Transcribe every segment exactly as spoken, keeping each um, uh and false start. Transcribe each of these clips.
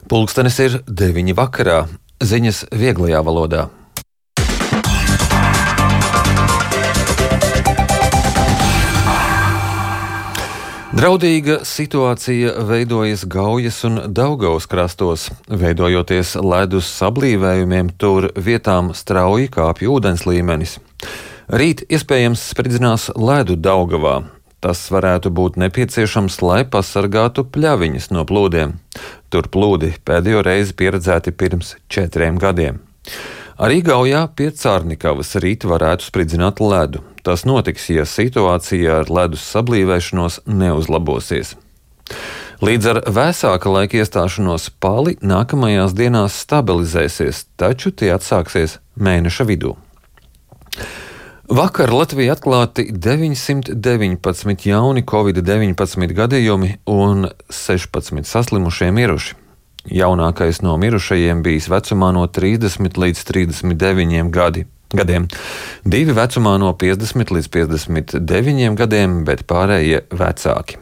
Pulkstenis ir deviņi vakarā. Ziņas vieglajā valodā. Draudīga situācija veidojas Gaujas un Daugavas krastos. Veidojoties ledus sablīvējumiem, tur vietām strauji kāpj ūdens līmenis. Rīt iespējams spridzinās ledu Daugavā. Tas varētu būt nepieciešams, lai pasargātu pļaviņas no plūdiem. Tur plūdi pēdējo reizi pieredzēti pirms četriem gadiem. Arī Gaujā pie Cārnikavas rīt varētu spridzināt ledu. Tas notiks, ja situācija ar ledus sablīvēšanos neuzlabosies. Līdz ar vēsāka laika iestāšanos pali nākamajās dienās stabilizēsies, taču tie atsāksies mēneša vidū. Vakar Latvijā atklāti deviņsimt deviņpadsmit jauni covid deviņpadsmit gadījumi un sešpadsmit saslimušie miruši. Jaunākais no mirušajiem bijis vecumā no trīsdesmit līdz trīsdesmit deviņiem gadi, gadiem. Divi vecumā no piecdesmit līdz piecdesmit deviņiem gadiem, bet pārējie vecāki.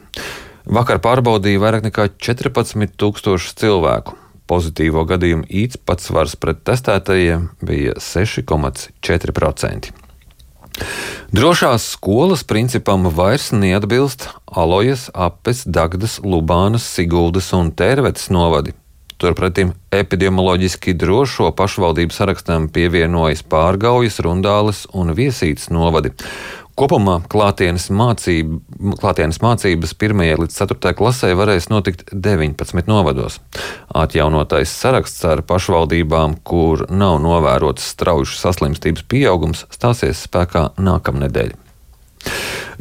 Vakar pārbaudīja vairāk nekā četrpadsmit tūkstošus cilvēku. Pozitīvo gadījumu īpatsvars pret testētajiem bija seši komats četri procenti. Drošās skolas principam vairs neatbilst Alojas, Apes, Dagdas, Lubānas, Siguldas un Tērvetes novadi. Turpretim epidemioloģiski drošo pašvaldību sarakstam pievienojas Pārgaujas, Rundāles un Viesītes novadi. Kopumā klātienes, mācība, klātienes mācības pirmajai līdz ceturtajai klasē varēs notikt deviņpadsmit novados. Atjaunotais saraksts ar pašvaldībām, kur nav novērots straujušas saslimstības pieaugums, stāsies spēkā nākamnedēļ.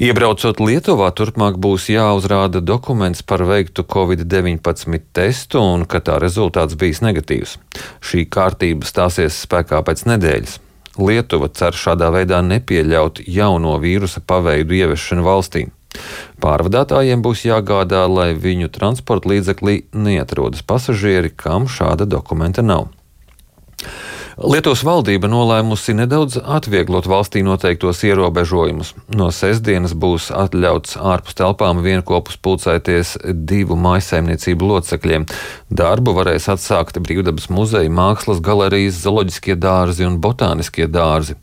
Iebraucot Lietuvā, turpmāk būs jāuzrāda dokuments par veiktu covid deviņpadsmit testu un ka tā rezultāts bijis negatīvs. Šī kārtība stāsies spēkā pēc nedēļas. Lietuva cer šādā veidā nepieļaut jauno vīrusa paveidu ieviešanu valstī. Pārvadātājiem būs jāgādā, lai viņu transporta līdzeklī neatrodas pasažieri, kam šāda dokumenta nav. Lietuvas valdība nolēmusi nedaudz atvieglot valstī noteiktos ierobežojumus. No sestdienas būs atļauts ārpus telpām vienopus pulcēties divu mājsaimniecību locekļiem. Darbu varēs atsākt Brīvdabas muzeja, mākslas galerijas, zooloģiskie dārzi un botāniskie dārzi.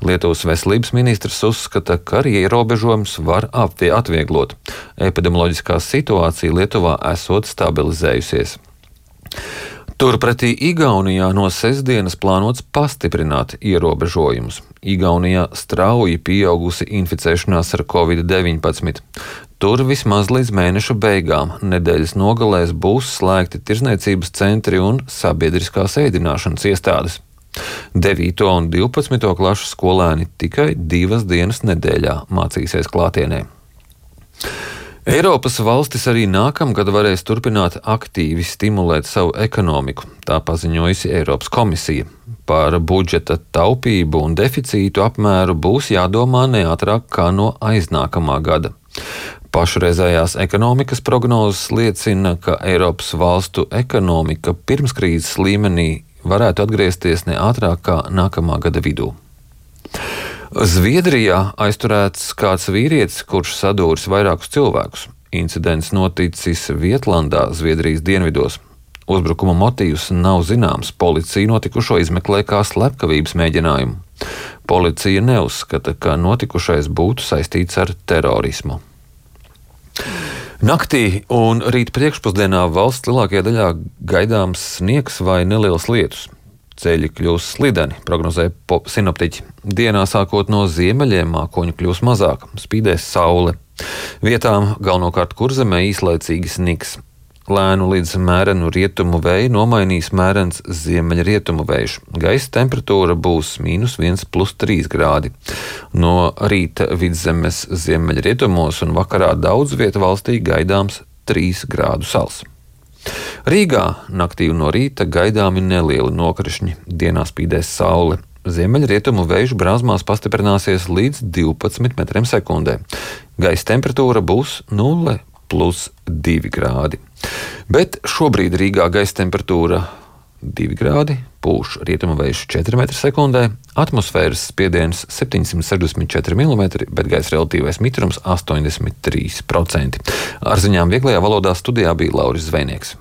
Lietuvas veselības ministrs uzskata, ka arī ierobežojumus var atvieglot. Epidemioloģiskā situācija Lietuvā esot stabilizējusies. Turpretī Igaunijā no sestdienas plānots pastiprināt ierobežojumus. Igaunijā strauji pieaugusi inficēšanās ar covid deviņpadsmit. Tur vismaz līdz mēneša beigām nedēļas nogalēs būs slēgti tirzniecības centri un sabiedriskās ēdināšanas iestādes. devīto un divpadsmito klašu skolēni tikai divas dienas nedēļā mācīsies klātienē. Eiropas valstis arī nākamgad varēs turpināt aktīvi stimulēt savu ekonomiku, tā paziņojusi Eiropas komisija. Par budžeta taupību un deficītu apmēru būs jādomā neātrāk kā no aiznākamā gada. Pašreizējās ekonomikas prognozes liecina, ka Eiropas valstu ekonomika pirms krīzes līmenī varētu atgriezties neātrāk kā nākamā gada vidū. Zviedrijā aizturēts kāds vīrietis, kurš sadūris vairākus cilvēkus. Incidents noticis Vietlandā, Zviedrijas dienvidos. Uzbrukuma motīvs nav zināms. Policija notikušo izmeklē kā slepkavības mēģinājumu. Policija neuzskata, ka notikušais būtu saistīts ar terorismu. Naktī un rīt priekšpusdienā valsts lielākajā daļā gaidāms sniegs vai neliels lietus. Ceļi kļūs slideni, prognozē sinoptiķi. Dienā sākot no ziemeļiem mākoņu kļūs mazāk, spīdēs saule. Vietām galvenokārt kurzemē īslaicīgi sniks. Lēnu līdz mērenu rietumu vēju nomainīs mērens ziemeļrietumu vējš. Gaisa temperatūra būs mīnus viens plus trīs grādi. No rīta vidzemes ziemeļrietumos un vakarā daudz vieta valstī gaidāms trīs grādu sals. Rīgā naktī un no rīta gaidāmi nelieli nokrišņi, dienā spīdēs saule. Ziemeļrietumu vējš brāzmās pastiprināsies līdz divpadsmit metriem sekundē. Gaisa temperatūra būs nulle plus divi grādi. Bet šobrīd Rīgā gaisa temperatūra divi grādi, pūš rietumu vējš četri metri sekundē, atmosfēras spiediens septiņsimt sešdesmit četri milimetri, bet gaisa relatīvais mitrums astoņdesmit trīs procenti. Ar ziņām vieglajā valodā studijā bija Lauris Zvejnieks.